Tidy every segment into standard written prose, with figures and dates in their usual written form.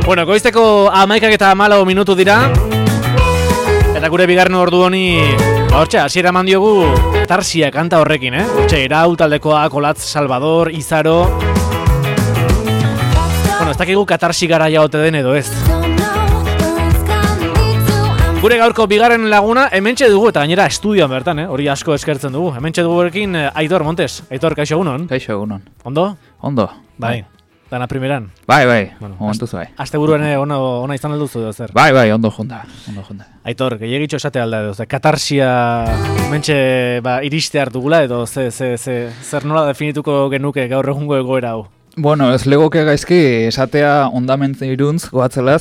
Bueno, goizteko 11:14 minutu dira. Eta gure bigarren ordu honi, hortxe, hasiera eman diogu Katarsia kanta horrekin, Hortxe, Irau, taldekoa, Kolatz, Salvador, Izaro. Bueno, ez dakigu Katarsi garaia ote den edo ez. Gure gaurko bigarren laguna hementxe dugu eta gainera estudioan bertan, hori asko eskertzen dugu. Hementxe dugu berekin Aitor Montes. Aitor, kaixo egunon? Kaixo egunon. Ondo? Ondo. Bai. Dana primeran. Bai. Bueno, Onduzu bai. Asteburuan ona izan alduzu edo zer? Bai, ondo junta. Aitor, gehiagitxo esate alda edo, Katarsia hementxe iriste hartugula edo zer nola definituko genuke gaur egungo egoera hau? Bueno, ez legoke gaizki esatea ondamentzen iruntz goatzela,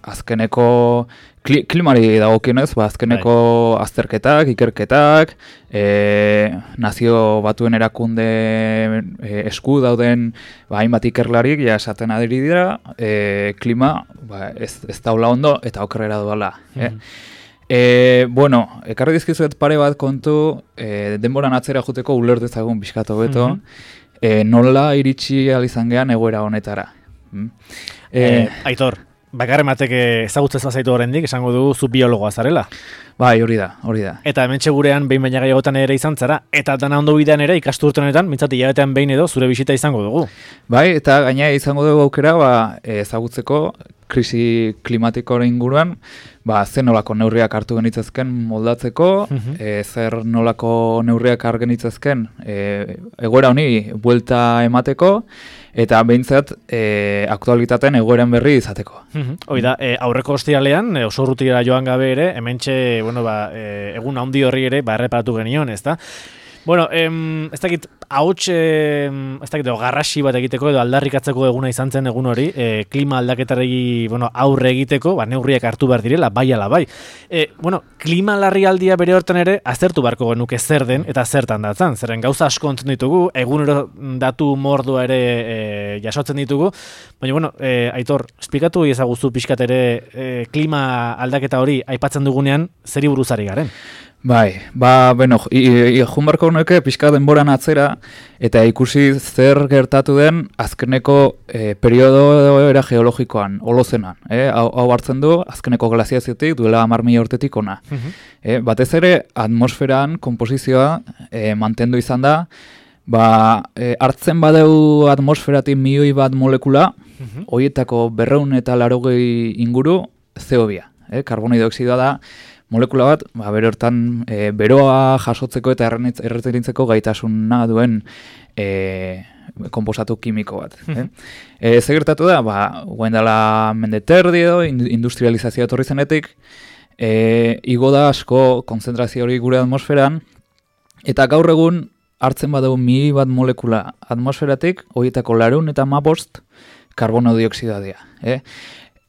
azkeneko klimari dagokionez, azkeneko azterketak, ikerketak, nazio batuen erakunde esku dauden hainbat ikerlarik ja esaten adiri dira, klima ez daula ondo eta okerrera doala. Bueno, ekarri dizkizuet pare bat kontu, denboran atzera juteko uler dezagun pixkatu beto, nola iritsi izan gean egoera honetara. Aitor, bakarren batek ezagutzez bazaitu horrendik, esango dugu zu biologoa zarela. Bai, hori da. Eta hementxe gurean behin baina gehiagotan ere izan zara, eta dana ondo bidean ere ikasturten honetan, mintzat hilabetean behin edo zure bisita izango dugu. Bai, eta gaina izango dugu aukera ezagutzeko krisi klimatikoaren inguruan, zer nolako neurriak hartu genitzezken moldatzeko, zer nolako neurriak hartu genitzezken egoera honi buelta emateko, eta behintzat aktualitateen egoeran berri izateko. Hoi da, aurreko ostiralean, oso urrutira joan gabe ere, hementxe, egun handi horri ere, erreparatu genion, ez da? Bueno, ez dakit, garrasi bat egiteko edo aldarrikatzeko eguna izan zen egun hori, klima aldaketaregi aurre egiteko, neurriak hartu behar direla, bai ala bai. Klima larrialdia bere hortan ere, aztertu beharko genuke zer den eta zertan datzan. Zerren gauza asko ontzen ditugu, egunero datu mordua ere jasotzen ditugu, baina, Aitor, esplikatu ezaguzu pixkat ere klima aldaketa hori aipatzen dugunean, zeri buruzari garen? Bai, jun barko honuke pixka denboran atzera eta ikusi zer gertatu den azkeneko periodoera geologikoan, holozenan. Hau hartzen du azkeneko glaziaziotik duela 10.000 urtetik ona. Batez ere atmosferan konposizioa mantendu izan da, hartzen badeu atmosferatik 1.000.000 bat molekula, horietako 280 inguru CO2, karbono dioxidoa da, molekula bat, bere hortan beroa jasotzeko eta erreterintzeko gaitasuna duen konposatu kimiko bat. Ze gertatu da, guen dela mendeterdi edo, industrializazioa etorri zenetik, igo da asko konzentrazio hori gure atmosferan, eta gaur egun hartzen badau 1.000 bat molekula atmosferatik, horietako 215 karbono dioxidoa dira.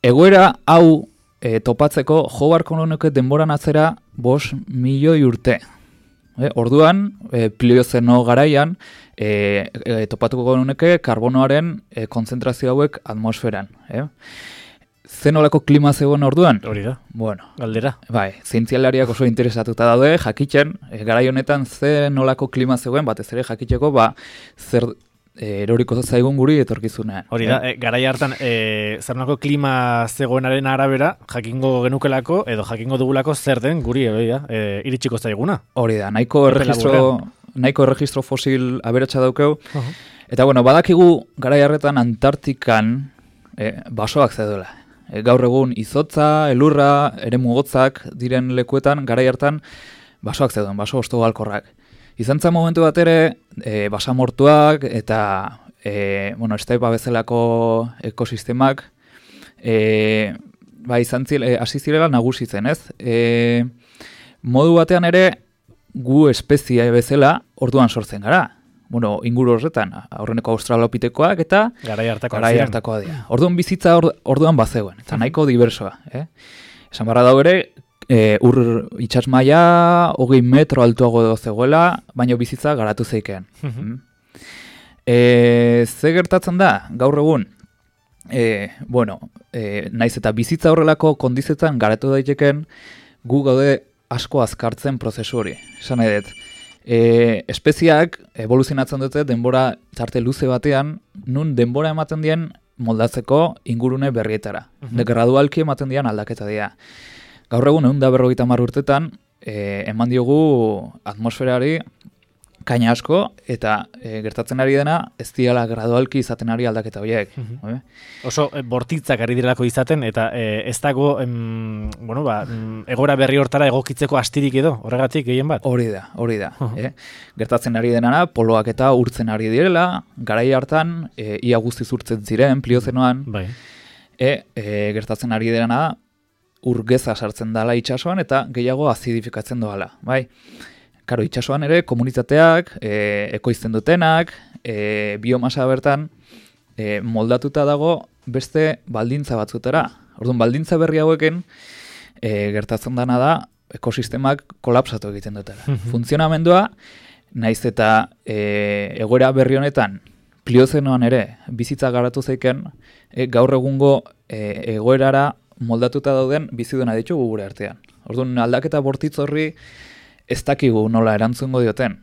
Egoera hau topatzeko jo barko nuke denboran atzera 5 milioi urte. Orduan, pliozeno garaian, topatuko nuke karbonoaren konzentrazio hauek atmosferan. Zenolako klima zegoen orduan? Hori da, galdera. Bai, zientzialariak oso interesatuta daude, jakitzen, garai honetan zenolako klima zegoen, batez ere jakitzeko, zer eroriko zaigun guri etorkizunean. Hori da, garai hartan, zernako klima zegoenaren arabera, jakingo genukelako, edo jakingo dugulako zer den guri, iritsiko zaiguna. Hori da, nahiko erregistro fosil aberatsa daukeu. Eta badakigu garai hartan Antartikan basoak zeudela. Gaur egun izotza, elurra, eremu gotzak diren lekuetan, garai hartan basoak zeuden, baso ostogalkorrak. Izan zen momentu bat ere, basamortuak eta estaipa bezalako ekosistemak hasi zirela nagusitzen, ez? Modu batean ere, gu espezie bezala orduan sortzen gara. Inguru horretan, aurreneko australopitekoak eta garai hartakoa dira. Orduan bizitza orduan bazegoen, eta nahiko diversoa. Esan barra dago ere, itsas maila 20 metro altuago zegoela, baina bizitza garatu zeikean. Ze gertatzen da, gaur egun, naiz eta bizitza horrelako kondizetan garatu daiteken, gu gaude asko azkartzen prozesu hori. Esan nahi dut, espeziak evoluzionatzen dute denbora tarte luze batean, nun denbora ematen dien moldatzeko ingurune berrietara. De gradualki ematen dian aldaketa dira. Gaur egun 150 urtetan eman diogu atmosferari kaina asko, eta gertatzen ari dena ez diala gradualki izaten ari aldaketa horiek. Oso bortitzak ari direlako izaten, eta ez dago egora berri hortara egokitzeko astirik edo, horregatik gehien bat? Hori da. Gertatzen ari denana, poloak eta urtzen ari direla, garai hartan, ia guztiz urtzen ziren, pliozenoan, gertatzen ari denana, urgeza sartzen dala itsasoan eta gehiago azidifikatzen doala, bai? Karo, itsasoan ere, komunitateak, ekoizten dutenak, biomasa bertan, moldatuta dago beste baldintza batzutara. Orduan, baldintza berri hauekin, gertatzen dana da, ekosistemak kolapsatu egiten dutela. Funtzionamendua, naiz eta egoera berri honetan, pliozenoan ere, bizitza garatu zeiken, gaur egungo egoerara moldatuta dauden biziduna ditugu gure artean. Orduan, aldaketa bortitz horri, ez dakigu nola erantzungo dioten.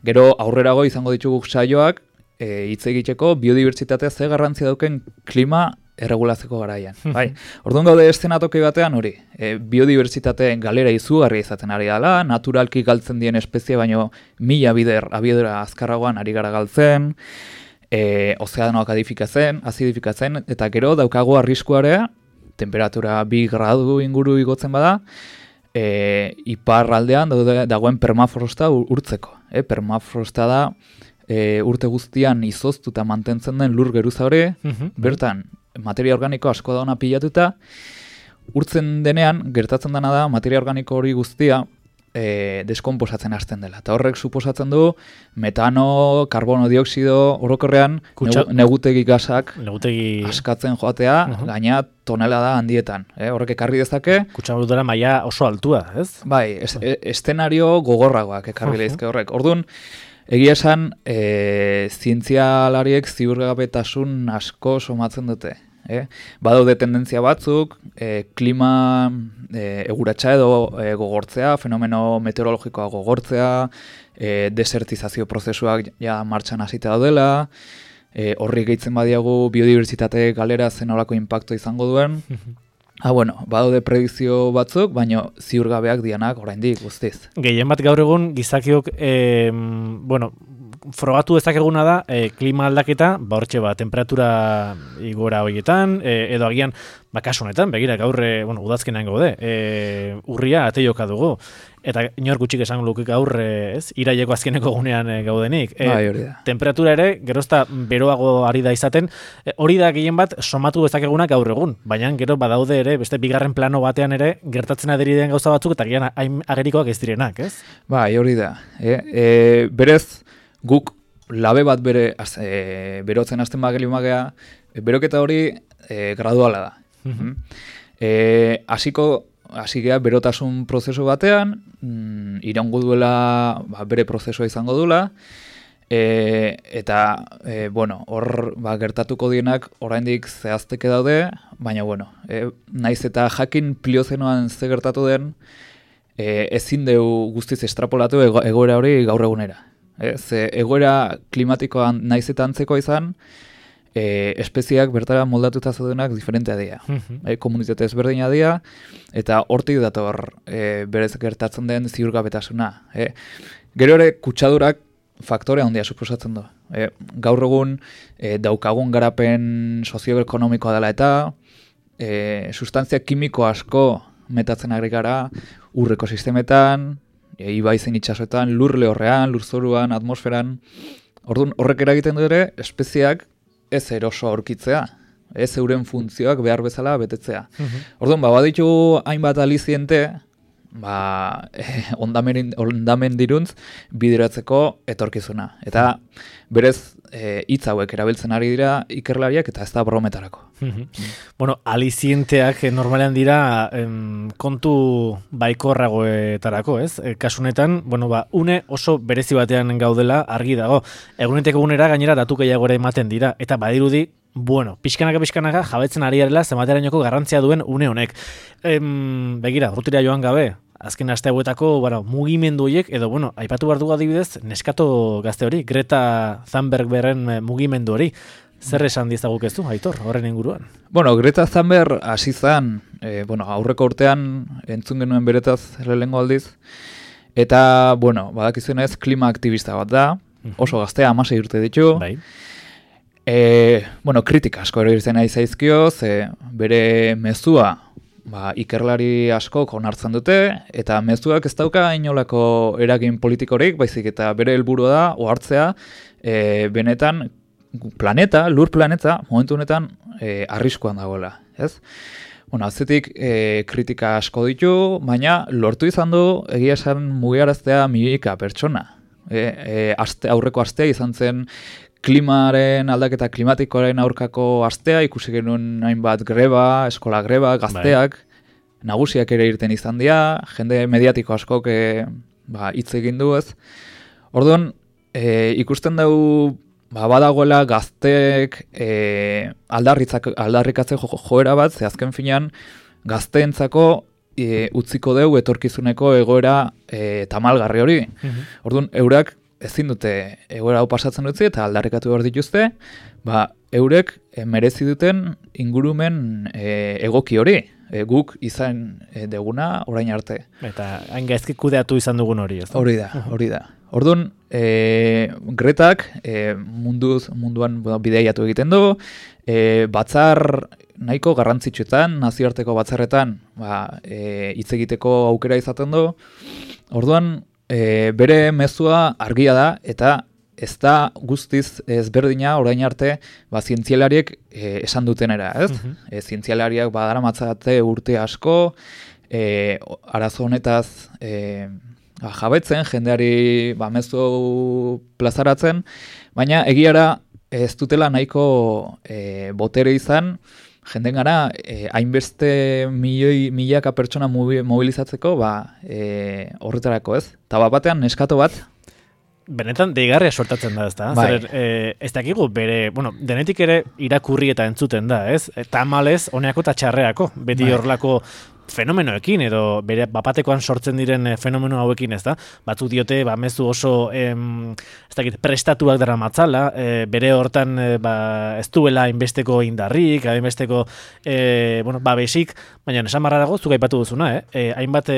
Gero aurrerago izango ditugu saioak hitz egiteko biodibertsitatea ze garrantzia dauken klima erregulatzeko garaian. Bai. Orduan gaude eszenatoki batean hori. Biodibertsitate galera izugarria izaten ari dela, naturalki galtzen dien espezie baino 1000 bider abiadura azkarragoan ari gara galtzen, ozeanoak azidifikatzen, eta gero daukagu arriskuarea, temperatura 2 gradu inguru igotzen bada, iparraldean dagoen permafrosta urtzeko. Permafrosta da urte guztian izoztuta mantentzen den lur geruza hori, bertan materia organiko asko dauna pilatuta, urtzen denean gertatzen dena da materia organiko hori guztia deskomposatzen hasten dela. Eta horrek suposatzen du metano, karbono dioksido orokorrean negutegi gasak askatzen joatea, gaina tonelada handietan. Horrek ekarri dezake. Kutsaburutara maila oso altua, ez? Bai, eszenario gogorragoak ekarri lehizke horrek. Orduan, egia esan, zientzialariek ziurgabetasun asko somatzen dute. Badaude tendentzia batzuk, klima eguratsa edo gogortzea, fenomeno meteorologikoa gogortzea, desertizazio prozesuak ja martxan hasita daudela, horri gehitzen badiagu biodibertsitate galera zenolako inpaktu izango duen. Badaude predizio batzuk, baina ziurgabeak dianak oraindik guztiz. Gehien bat gaur egun gizakiok, frogatu ezakeguna da klima aldaketa, hortxe temperatura igora horietan, edo agian, kasu honetan, begira, gaur, udazkenean gaude, urria ateioka dugu, eta inor gutxik esan luke gaur, iraileko azkeneko gunean gaudenik. Temperatura ere, gerozta beroago ari da izaten, hori da gehien bat somatu ezakeguna gaur egun, baina gero badaude ere, beste bigarren plano batean ere, gertatzen aderi den gauza batzuk, eta gian agerikoak ez direnak, ez? Bai, hori da. Berez, guk labe bat berotzen hasten magea, beroketa hori graduala da. Hasi gea berotasun prozesu batean, iraungo duela bere prozesua izango duela, eta hor gertatuko dienak oraindik zehazteke daude, baina naiz eta jakin pliozenoan ze gertatu den, ezin deu guztiz estrapolatu egoera hori gaur egunera. Ze egoera klimatikoan naiz eta antzeko izan, espeziak bertara moldatuta zaudenak diferentea dira. Komunitate ezberdina dira, eta hortik dator berez gertatzen den ziurgabetasuna. Gero ere kutsadurak faktore handia suposatzen du. Gaur egun daukagun garapen sozioekonomikoa dela eta sustantzia kimiko asko metatzen ari gara ur ekosistemetan, ibaizen itsasoetan, lur lehorrean, lurzoruan, atmosferan. Orduan, horrek eragiten du ere, espeziak ez eroso aurkitzea, ez euren funtzioak behar bezala betetzea. Orduan, baditugu hainbat aliziente, ondamen diruntz bideratzeko etorkizuna. Eta berez, hitz hauek erabiltzen ari dira ikerlariak eta ez da brometarako. Alizienteak normalean dira kontu baikorragoetarako, ez? Kasunetan, une oso berezi batean gaudela argi dago. Eguneteko egunera gainera datu gehiagora ematen dira, eta badirudi, pixkanaka jabetzen ari garela zematerainoko garrantzia duen une honek. Begira, urtira joan gabe, azken aste hauetako mugimendu horiek, edo aipatu behar dugu adibidez, neskato gazte hori, Greta Thunberg berren mugimendu hori. Zer esan dizaguk ez du, Aitor, horren inguruan? Bueno, Greta Thunberg hasi zen, aurreko urtean entzun genuen beretaz lehengo aldiz, eta, badakizunez klima aktivista bat da, oso gaztea, 16 urte ditu. Bai. Kritika asko erabiltzen nahi zaizkio, bere mezua ikerlari asko onartzen dute, eta mezuak ez dauka inolako eragin politikorik, baizik eta bere helburua da, ohartzea, benetan lur planeta, momentu honetan, arriskuan dagoela, ez? Atzetik kritika asko ditu, baina lortu izan du egia esan mugiaraztea milioika pertsona. Aurreko astea izan zen klimaren aldaketa klimatikoaren aurkako astea, ikusi genuen hainbat greba, eskola greba, gazteak, nagusiak ere irten izan dira, jende mediatiko askok hitz egin du ez. Orduan, ikusten dugu badagoela gazteek aldarrikatze joera bat, ze azken finean gazteentzako utziko deu etorkizuneko egoera tamalgarri hori. Orduan, eurak ezin dute egoera hau pasatzen utzi eta aldarrikatu behar dituzte, eurek merezi duten ingurumen egoki hori. Guk izan deguna orain arte. Eta hain gaizki kudeatu izan dugun hori, ez da? Hori da. Orduan, Gretak munduan bideiatu egiten du, batzar nahiko garrantzitsuetan, nazioarteko batzarretan hitz egiteko aukera izaten du. Orduan, bere mezua argia da, eta ez da guztiz ezberdina orain arte zientzialariek esan dutenera, ez? Zientzialariak badaramatzate urte asko, arazo honetaz jabetzen, jendeari mezu plazaratzen, baina egiara ez dutela nahiko botere izan, jenden gara hainbeste milaka pertsona mobilizatzeko horretarako, ez? Eta batean neskato bat, benetan deigarria sortatzen da, ez da? Zer, ez dakigu bere, denetik ere irakurri eta entzuten da, ez? Tamalez, honeako eta txarreako, beti horrelako fenomenoekin, edo bere bapatekoan sortzen diren fenomeno hauekin, ez da? Batzuk diote, mezu oso, ez dakit, prestatuak dara matzala, bere hortan ez duela inbesteko indarrik, inbesteko, babesik, baina esan barra dago, zuk aipatu duzuna, hainbat,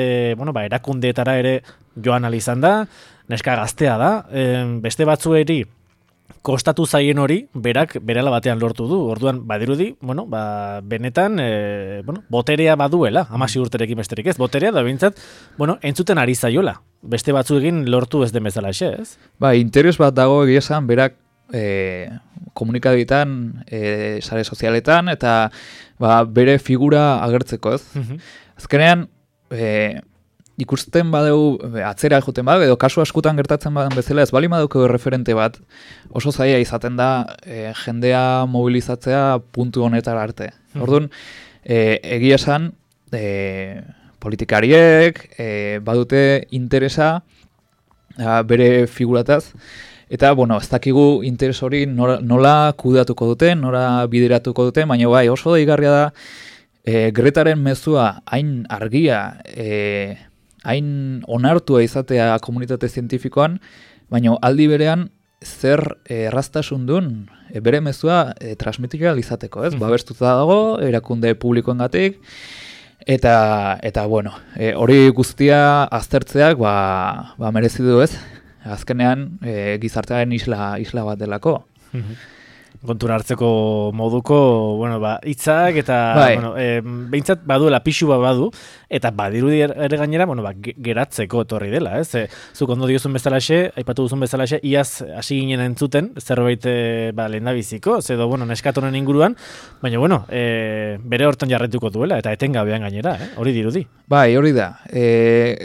erakundeetara ere joan alizan da, neska gaztea da, beste batzueri kostatu zaien hori, berak berela batean lortu du. Orduan, badirudi, benetan, boterea baduela, 16 urterekin besterik ez, boterea da bintzat, entzuten ari zaiola. Beste batzu egin lortu ez den bezala xe, ez? Interes bat dago egia esan, berak komunikabitan, sare sozialetan, eta bere figura agertzeko, ez? Azkenean, ikusten badeu, atzera joten badeu, edo kasu askutan gertatzen badan bezala, ez bali badauko referente bat, oso zaila izaten da jendea mobilizatzea puntu honetara arte. Orduan, egia esan, politikariek badute interesa bere figurataz, eta, ez dakigu interes hori nola kudeatuko duten, nola bideratuko duten, baina oso deigarria da, Gretaren mezua hain argia, hain onartua izatea komunitate zientifikoan, baina aldi berean zer erraztasun duen bere mezua transmitika izateko, ez? Babestuta dago, erakunde publikoengatik, eta hori guztia aztertzeak merezi du, ez? Azkenean gizartearen isla bat delako. Kontura hartzeko moduko, hitzak eta, behintzat baduela pixu bat badu, eta badirudi ere gainera, geratzeko etorri dela, ez? Zuk ondo diozun bezalaxe, aipatu duzun bezalaxe, iaz hasi ginen entzuten, zerbait lehendabiziko, edo, neskatonen inguruan, baina, bere hortan jarretuko duela, eta etengabean gainera, hori dirudi. Hori da.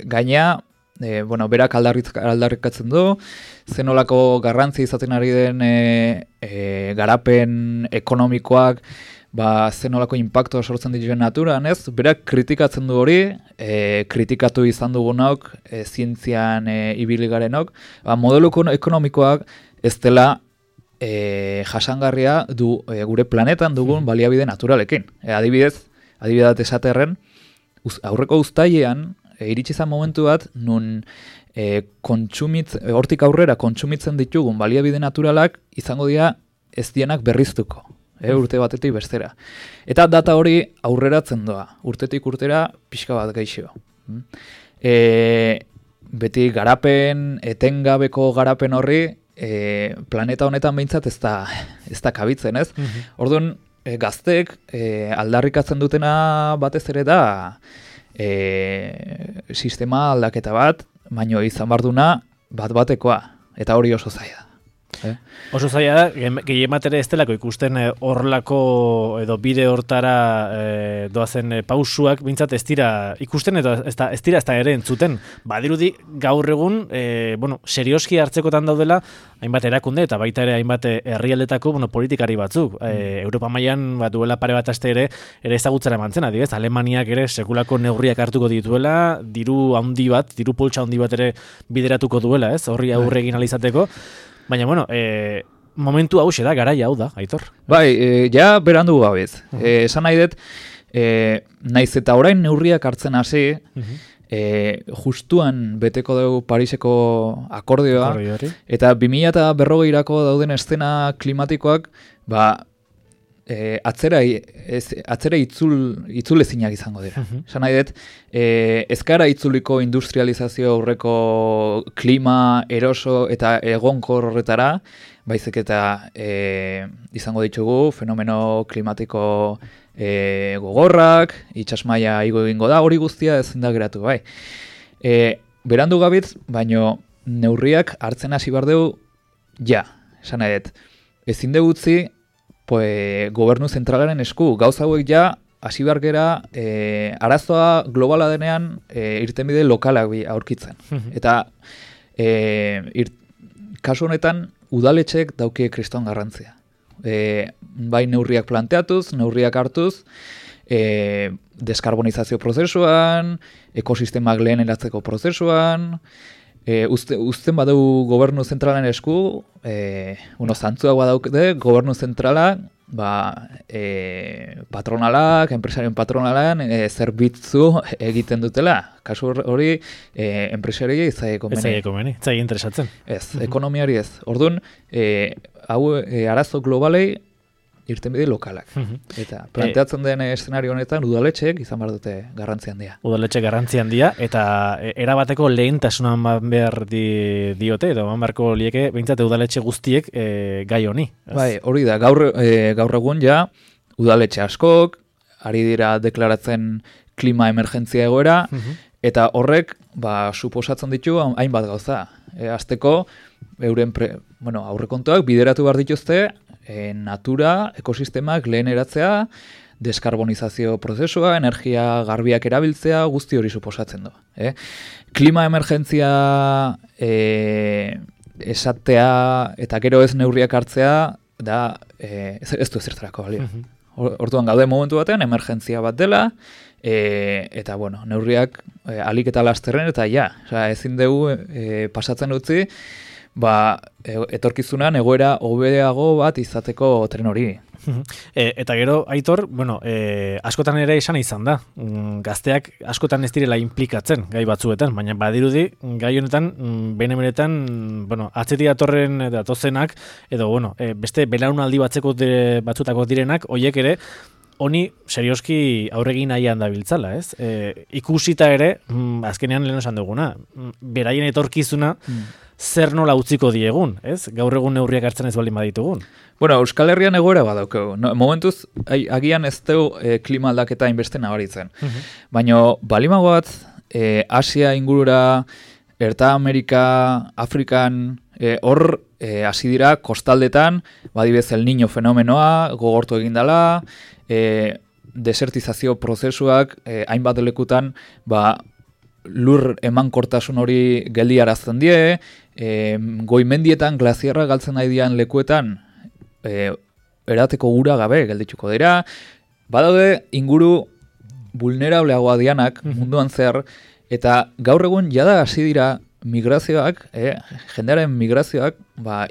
Gaina, berak aldarrikatzen du, zenolako garrantzia izaten ari den garapen ekonomikoak, zenolako impacto sortzen dituen naturan, ez? Berak kritikatzen du hori, kritikatu izan dugunok, zientzian ibili garenok, modelo ekonomikoak ez dela jasangarria du gure planetan dugun baliabide naturalekin. Adibidez esaterren, aurreko uztailean, iritsi izan momentu bat, nun hortik aurrera kontsumitzen ditugun baliabide naturalak izango dira ez dienak berriztuko, urte batetik bestera. Eta data hori aurreratzen doa, urtetik urtera pixka bat gaixo. Beti garapen, etengabeko garapen horri, planeta honetan behintzat ez da kabitzen, ez? Orduan, gaztek aldarrikatzen dutena batez ere da sistema aldaketa bat, baino izan barduna bat-batekoa, eta hori oso zaila da. Oso zaila da, gehien bat ere ez delako ikusten horrelako edo bide hortara doazen pausuak bintzat ez dira ikusten edo ez dira ere entzuten. Badirudi gaur egun, serioski hartzekotan daudela hainbat erakunde eta baita ere hainbat herrialdetako politikari batzuk. Europa mailan duela pare bat aste ere ezagutzera emantzen, adibidez, Alemaniak ere sekulako neurriak hartuko dituela, diru poltsa handi bat ere bideratuko duela, ez? Horri aurre egin ahal izateko. Baina, momentu hau da, garaia hau da, Aitor. Bai, ja berandu gabez. Esan nahi dut, naiz eta orain neurriak hartzen hasi, justuan beteko dugu Pariseko akordioa, eta 2040erako dauden eszena klimatikoak, atzera itzulezinak izango dira. Esan nahi dut, ez gara itzuliko industrializazio aurreko klima eroso eta egonkor horretara, baizik eta izango ditugu fenomeno klimatiko gogorrak, itsasmaila igo egingo da, hori guztia ezin da geratu, bai. Berandu gabitz, baino neurriak hartzen hasi behar dugu, esan nahi dut, ezin dugu utzi, gobernu zentralaren esku, gauza hauek hasi behar gera, arazoa globala denean irtenbide lokalak aurkitzen. Eta kasu honetan, udaletxek daukie kriston garrantzia. Bai neurriak planteatuz, neurriak hartuz, deskarbonizazio prozesuan, ekosistemak lehen eratzeko prozesuan, uzten badugu gobernu zentralen esku, zantzuak badaude, gobernu zentrala, patronalak, enpresarien patronalak, zerbitzu egiten dutela. Kasu hori, enpresari ez zaie komeni. Ez zaie interesatzen. Ez, ekonomiari ez. Orduan, arazo globalei irtenbide lokalak. Eta planteatzen den eszenario honetan udaletxeek izan behar dute garrantzi handia. Udaletxe garrantzi handia eta erabateko lehentasunan behar diote edo beharko lieke behintzat udaletxe guztiek gai honi. Bai, hori da, gaur egun udaletxe askok ari dira deklaratzen klima emergentzia egoera eta horrek suposatzen ditu hainbat gauza. Azteko euren aurrekontuak bideratu behar dituzte natura, ekosistemak lehen eratzea, deskarbonizazio prozesua, energia garbiak erabiltzea, guzti hori suposatzen du. Klima emergentzia esatea eta gero ez neurriak hartzea da ez du ezertarako balio. Orduan gaude momentu batean emergentzia bat dela eta neurriak alik eta lasterren eta ezin dugu pasatzen utzi etorkizunan egoera hobeago bat izateko tren hori. Eta gero, Aitor, askotan ere esan izan da. Gazteak askotan ez direla implikatzen gai batzuetan, baina badirudi gai honetan, benetan, atzetik datozenak, edo, beste belaunaldi batzutako direnak, hoiek ere, honi serioski aurregin nahian dabiltzala, ez? Ikusita ere, azkenean lehen esan duguna, beraien etorkizuna, zer nola utziko diegun, ez? Gaur egun neurriak hartzen ez baldin baditugun. Euskal Herrian egoera badaukegu. Momentuz, agian ez dugu klima aldaketa inbeste nabaritzen. Baina, balimago bat, Asia ingurura, Erta Amerika, Afrikan, hor hasi dira kostaldetan, badibez El Niño fenomenoa, gogortu egindala, desertizazio prozesuak, hainbat lekutan, lur emankortasun hori geldiarazten die, goimendietan glaziarra galtzen nahi dian lekuetan erateko ura gabe geldituko dira. Badaude inguru vulnerableagoa dianak munduan zer, eta gaur egun jada hasi dira migrazioak, jendearen migrazioak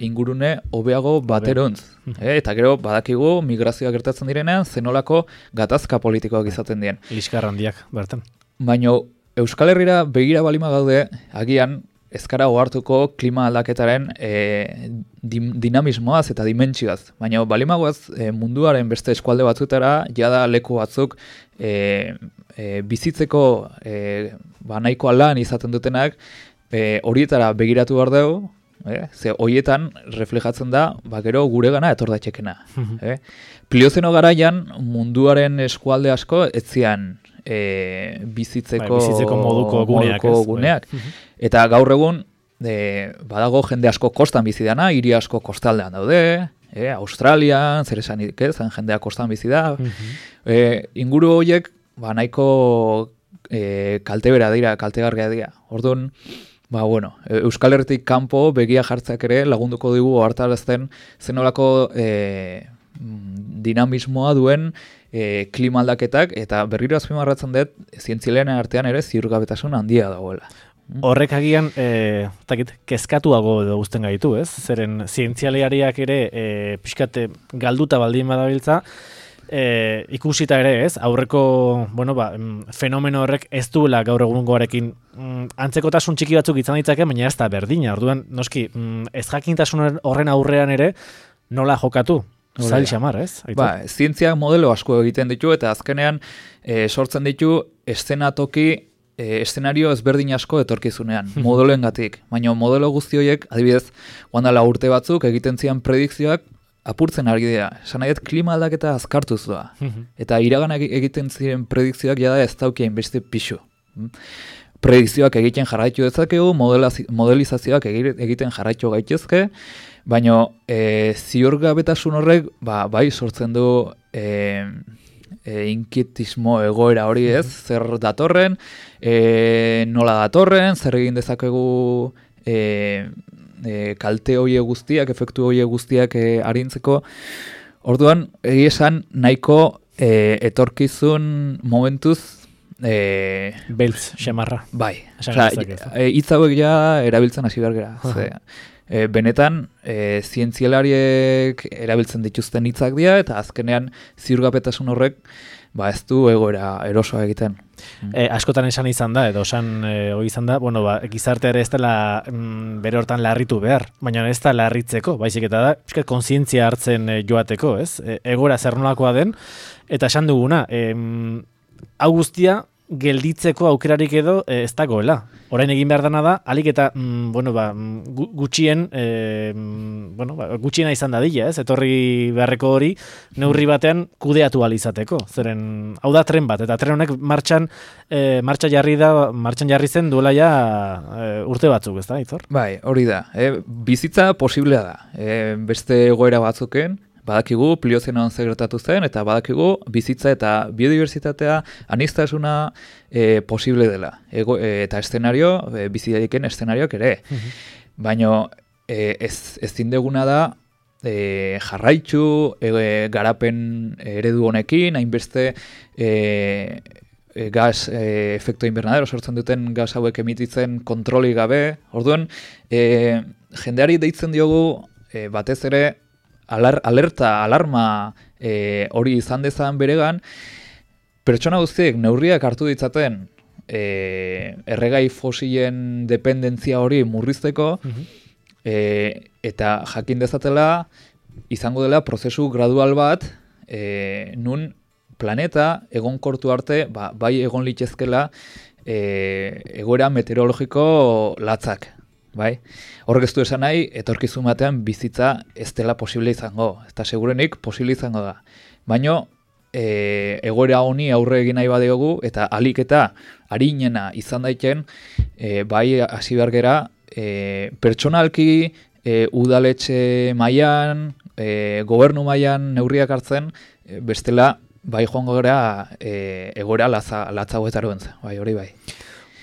ingurune hobeago baterontz. Eta gero badakigu migrazioak gertatzen direnean zenolako gatazka politikoak izaten dien. Liskar handiak, bertan. Baina Euskal Herrira begira balima gaude, agian ez gara ohartuko klima aldaketaren dinamismoaz eta dimentsioaz. Baina balimagoaz munduaren beste eskualde batzutara, jada leku batzuk bizitzeko nahiko lan izaten dutenak, horietara begiratu behar dugu, ze horietan reflejatzen da, gero gure gana etor daitxekena. Pliozeno garaian munduaren eskualde asko etzian bizitzeko moduko guneak. Eta gaur egun badago jende asko kostan bizi dana, hiri asko kostaldean daude, Australian, zer esanik ez, jendea kostan bizi da. Inguru horiek nahiko kaltebera dira, kaltegarria dira. Orduan, Euskal Herritik kanpo begia jartzeak ere lagunduko digu ohartarazten zenolako dinamismoa duen klima aldaketak, eta berriro azpimarratzen dut zientzialaren artean ere ziurgabetasun handia dagoela. Horrek agian, kezkatuago edo guzten gaitu, ez? Zeren zientzialariak ere pixkat galduta baldin badabiltza, ikusita ere, ez? Aurreko, fenomeno horrek ez duela gaur egungoarekin antzekotasun txiki batzuk izan ditzake, baina ez da berdina. Orduan, noski, ez jakintasun horren aurrean ere nola jokatu? Zail xamar, ez? Zientziak modelo asko egiten ditu, eta azkenean sortzen ditu eszenario ezberdin asko etorkizunean, modeloengatik. Baina modelo guzti horiek, adibidez, guandala urte batzuk egiten zian predikzioak apurtzen ari dira. Esan nahi, klima aldaketa azkartuz doa. Eta iragan egiten ziren predikzioak jada ez daukien beste pixu. Predikzioak egiten jarraitu dezakegu, modelizazioak egiten jarraitu gaitezke, baina ziurgabetasun horrek bai sortzen du inkietismo egoera hori, ez? Zer datorren, nola datorren, zer egin dezakegu kalte hoie guztiak, efektu hoie guztiak arintzeko. Orduan, esan nahiko etorkizun momentuz beltz, xamarra. Bai. Hitz hauek ja erabiltzen hasi behar gara. Benetan, zientzialariek erabiltzen dituzten hitzak dira, eta azkenean ziurgabetasun horrek ez du egoera erosoa egiten. Askotan esan izan da, edo esan izan da, gizarte ere ez dela bere hortan larritu behar, baina ez da larritzeko, baizik eta da, kontzientzia hartzen joateko, ez? Egoera zer nolakoa den, eta esan duguna, hau guztia gelditzeko aukerarik edo ez dagoela. Orain egin behar dana da, alik eta gutxiena izan dadila, ez? Etorri beharreko hori neurri batean kudeatu ahal izateko. Zeren, hau da tren bat, eta tren honek martxan jarri zen duela ja urte batzuk, ez da, Aitor? Bai, hori da. Bizitza posiblea da. Beste egoera batzuken, badakigu Pliozenoan zer gertatu zen, eta badakigu bizitza eta biodiversitatea aniztasuna posible dela. Eta eszenario, bizitaiken eszenarioak ere. Baina ezin deguna da jarraitzu garapen eredu honekin, hainbeste gas efektu invernadero sortzen duten gas hauek emititzen kontroli gabe. Orduan, jendeari deitzen diogu batez ere alarma hori izan dezan beregan, pertsona guztiek neurriak hartu ditzaten erregai fosilen dependentzia hori murrizteko, eta jakin dezatela izango dela prozesu gradual bat, nun planeta egonkortu arte, bai egon litezkela egoera meteorologiko latzak. Bai? Horrek ez du esan nahi, etorkizun batean bizitza ez dela posible izango, eta segurenik posible izango da. Baina egoera honi aurre egin nahi badiogu, eta alik eta arinena izan daiken, bai hasi behar gera, pertsonalki, udaletxe mailan, gobernu mailan neurriak hartzen, bestela bai joango gara egoera latzagoetaro entza, bai hori bai.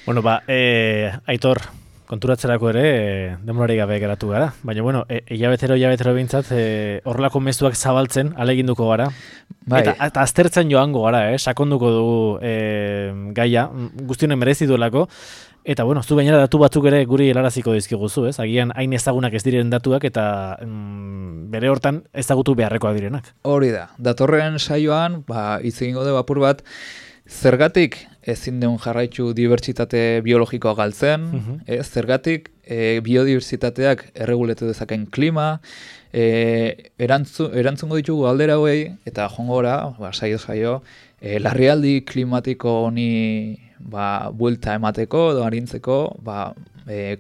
Bueno, Aitor, konturatzerako ere denborari gabe geratu gara. Baina, hilabetero behintzat horrelako mezuak zabaltzen aleginduko gara. Bai. Eta aztertzen joango gara, sakonduko dugu gaia, guztionen merezi duelako. Eta, zu gainera datu batzuk ere guri helaraziko dizkiguzu, ez? Agian hain ezagunak ez diren datuak eta bere hortan ezagutu beharrekoak direnak. Hori da. Datorren saioan, hitz egingo dugu apur bat, zergatik ezin deun jarraitu dibertsitate biologikoa galtzen, zergatik biodiversitateak erreguletu dezaken klima, erantzungo ditugu galdera hauei, eta jongora, saio, larrialdi klimatiko honi buelta emateko edo arintzeko,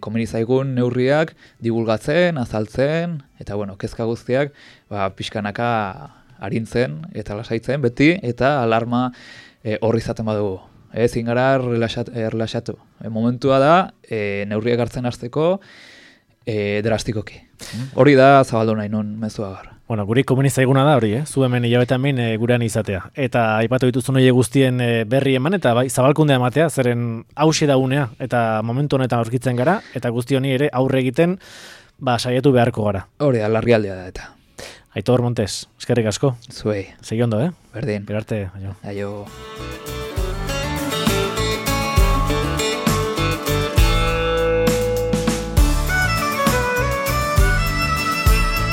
komeni zaigun neurriak divulgatzen, azaltzen, eta kezka guztiak pixkanaka arintzen eta lasaitzen beti, eta alarma horri izaten badugu. Ezin gara relaxatu. Momentua da, neurriak hartzen hasteko drastikoki. Hori da zabaldu nahi nun mezua gara. Guri komeni zaiguna da hori, zu hemen hilabetean behin gurean izatea. Eta aipatu dituzun horiek guztien berri eman, eta zabalkundea ematea, zeren hauxe da unea, eta momentu honetan aurkitzen gara, eta guzti honi ere aurre egiten, saiatu beharko gara. Hori da, larrialdea da eta. Aitor Montes, eskerrik asko. Zuei. Segi ondo, Berdin. Berarte, aio.